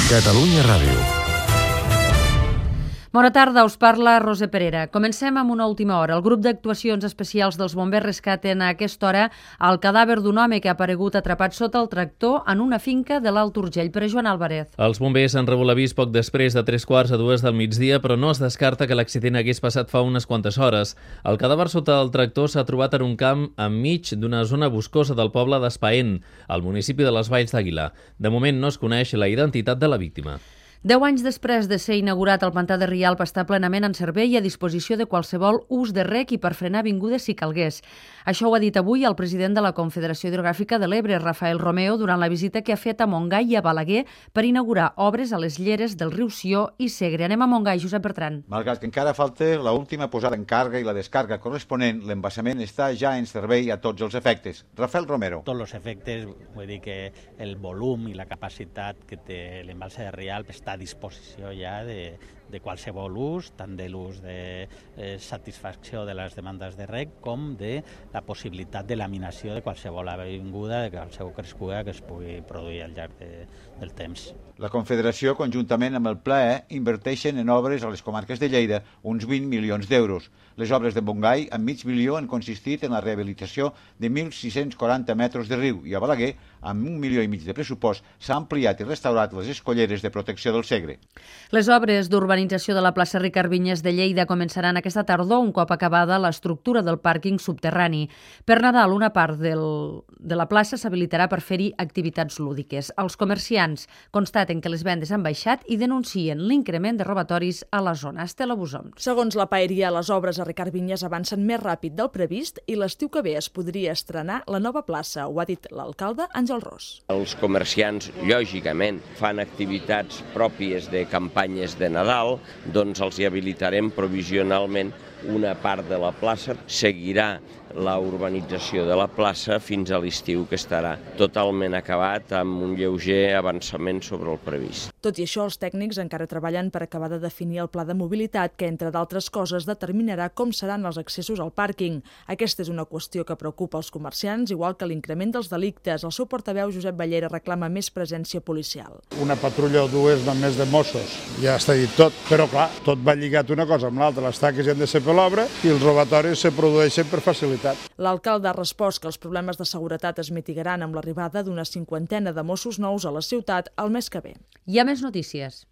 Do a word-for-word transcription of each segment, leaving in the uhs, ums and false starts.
Catalunya Ràdio. Bona tarda, us parla Roser Perera. Comencem amb una última hora. El grup d'actuacions especials dels bombers rescaten a aquesta hora el cadàver d'un home que ha aparegut atrapat sota el tractor en una finca de l'Alt Urgell. Per Joan Álvarez. Els bombers han rebut l'avís poc després de tres quarts a dues del migdia, però no es descarta que l'accident hagués passat fa unes quantes hores. El cadàver sota el tractor s'ha trobat en un camp enmig d'una zona boscosa del poble d'Espaén, al municipi de les Valls d'Aguilar. De moment no es coneix la identitat de la víctima. Deu anys després de ser inaugurat, el pantà de Rialp està plenament en servei i a disposició de qualsevol ús de rec i per frenar vingudes si calgués. Això ho ha dit avui el president de la Confederació Hidrogràfica de l'Ebre, Rafael Romeo, durant la visita que ha fet a Montgai i a Balaguer per inaugurar obres a les lleres del riu Sió i Segre. Anem a Montgai, Josep Bertran. Malgrat que encara falta l'última posada en càrrega i la descàrrega corresponent, l'embassament està ja en servei a tots els efectes. Rafael Romero. Tots els efectes, vull dir que el volum i la capacitat que té l'embalse de Rialp està a disposició ja de, de qualsevol ús, tant de l'ús de eh, satisfacció de les demandes de rec com de la possibilitat de laminació de qualsevol avinguda, de qualsevol crescuda que es pugui produir al llarg de, del temps. La Confederació, conjuntament amb el P L A E, inverteixen en obres a les comarques de Lleida uns vint milions d'euros. Les obres de Montgai, amb mig milió, han consistit en la rehabilitació de mil sis-cents quaranta metres de riu i a Balaguer, amb un milió i mig de pressupost, s'ha ampliat i restaurat les escolleres de protecció del Segre. Les obres d'urbanització de la plaça Ricard Vinyes de Lleida començaran aquesta tardor un cop acabada l'estructura del pàrquing subterrani. Per Nadal, una part del, de la plaça s'habilitarà per fer-hi activitats lúdiques. Els comerciants constaten que les vendes han baixat i denuncien l'increment de robatoris a la zona. Estela Busom. Segons la paeria, les obres a Ricard Vinyes avancen més ràpid del previst i l'estiu que ve es podria estrenar la nova plaça, ho ha dit l'alcalde Àngel Ros. Els comerciants, lògicament, fan activitats pròpies de campanyes de Nadal, doncs els hi habilitarem provisionalment una part de la plaça. Seguirà la urbanització de la plaça fins a l'estiu, que estarà totalment acabat amb un lleuger avançament sobre el previst. Tot i això, els tècnics encara treballen per acabar de definir el pla de mobilitat que, entre d'altres coses, determinarà com seran els accessos al pàrquing. Aquesta és una qüestió que preocupa els comerciants, igual que l'increment dels delictes. El seu portaveu, Josep Ballera, reclama més presència policial. Una patrulla o dues només de Mossos, ja està dit tot, però clar, tot va lligat una cosa amb l'altra. Les taques han de ser per l'obra i els robatoris se produeixen per facilitat. L'alcalde ha respost que els problemes de seguretat es mitigaran amb l'arribada d'una cinquantena de Mossos nous a la ciutat el mes que ve. Hi ha més notícies.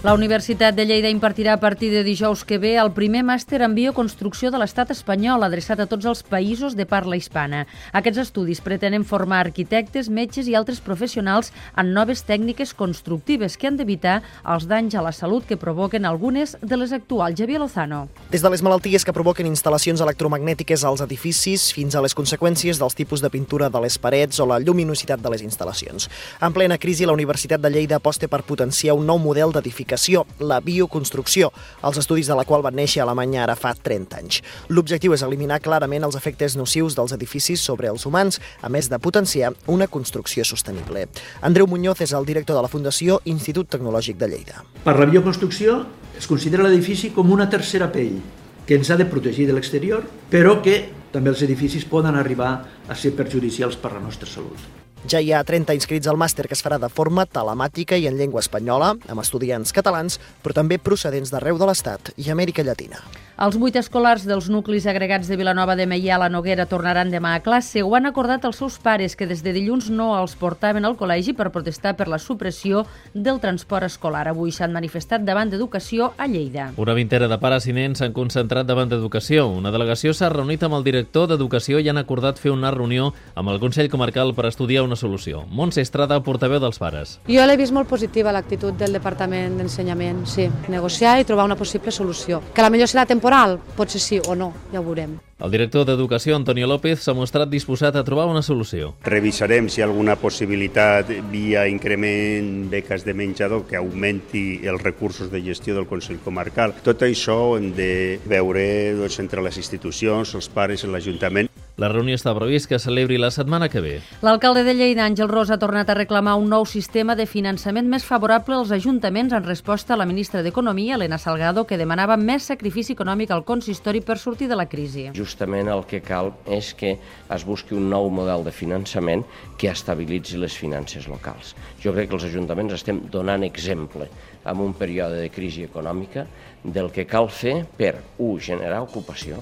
La Universitat de Lleida impartirà a partir de dijous que ve el primer màster en bioconstrucció de l'estat espanyol, adreçat a tots els països de parla hispana. Aquests estudis pretenen formar arquitectes, metges i altres professionals en noves tècniques constructives que han d'evitar els danys a la salut que provoquen algunes de les actuals. Javier Lozano. Des de les malalties que provoquen instal·lacions electromagnètiques als edificis fins a les conseqüències dels tipus de pintura de les parets o la lluminositat de les instal·lacions. En plena crisi, la Universitat de Lleida aposta per potenciar un nou model d'edificació, la bioconstrucció, els estudis de la qual van néixer a Alemanya ara fa trenta anys. L'objectiu és eliminar clarament els efectes nocius dels edificis sobre els humans, a més de potenciar una construcció sostenible. Andreu Muñoz és el director de la Fundació Institut Tecnològic de Lleida. Per la bioconstrucció es considera l'edifici com una tercera pell que ens ha de protegir de l'exterior, però que també els edificis poden arribar a ser perjudicials per a la nostra salut. Ja hi ha trenta inscrits al màster, que es farà de forma telemàtica i en llengua espanyola, amb estudiants catalans, però també procedents d'arreu de l'Estat i Amèrica Llatina. Els vuit escolars dels nuclis agregats de Vilanova de Meià a la Noguera tornaran demà a classe. Ho han acordat els seus pares, que des de dilluns no els portaven al col·legi per protestar per la supressió del transport escolar. Avui s'han manifestat davant d'Educació a Lleida. Una vintena de pares i nens s'han concentrat davant d'Educació. Una delegació s'ha reunit amb el director d'Educació i han acordat fer una reunió amb el Consell Comarcal per estudiar una solució. Montse Estrada, portaveu dels pares. Jo l'he vist molt positiva, l'actitud del Departament d'Ensenyament, sí. Negociar i trobar una possible solució. Que la millor serà temporal, potser sí o no, ja ho veurem. El director d'Educació, Antonio López, s'ha mostrat disposat a trobar una solució. Revisarem si hi ha alguna possibilitat via increment beques de menjador que augmenti els recursos de gestió del Consell Comarcal. Tot això ho hem de veure doncs, entre les institucions, els pares i l'Ajuntament. La reunió està previst que celebri la setmana que ve. L'alcalde de Lleida, Àngel Ros, ha tornat a reclamar un nou sistema de finançament més favorable als ajuntaments en resposta a la ministra d'Economia, Elena Salgado, que demanava més sacrifici econòmic al consistori per sortir de la crisi. Justament el que cal és que es busqui un nou model de finançament que estabilitzi les finances locals. Jo crec que els ajuntaments estem donant exemple en un període de crisi econòmica del que cal fer per, un, generar ocupació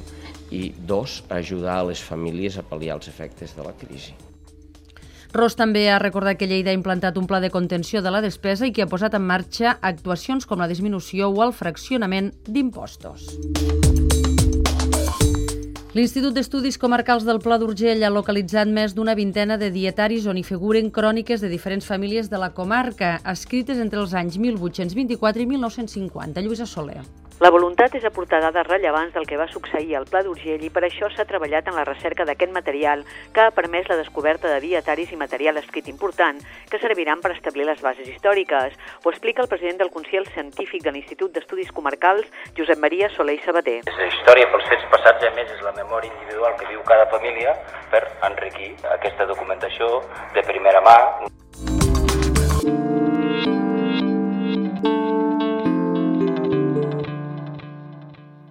i, dos, ajudar a les famílies a pal·liar els efectes de la crisi. Ros també ha recordat que Lleida ha implantat un pla de contenció de la despesa i que ha posat en marxa actuacions com la disminució o el fraccionament d'impostos. L'Institut d'Estudis Comarcals del Pla d'Urgell ha localitzat més d'una vintena de dietaris on hi figuren cròniques de diferents famílies de la comarca, escrites entre els anys mil vuit-cents vint-i-quatre i mil nou-cents cinquanta. Lluïsa Soler. La voluntat és aportar dades rellevants del que va succeir al Pla d'Urgell i per això s'ha treballat en la recerca d'aquest material que ha permès la descoberta de dietaris i material escrit important que serviran per establir les bases històriques. Ho explica el president del Consell Científic de l'Institut d'Estudis Comarcals, Josep Maria Soler i Sabater. La història pels fets passats, a més, és la memòria individual que viu cada família per enriquir aquesta documentació de primera mà.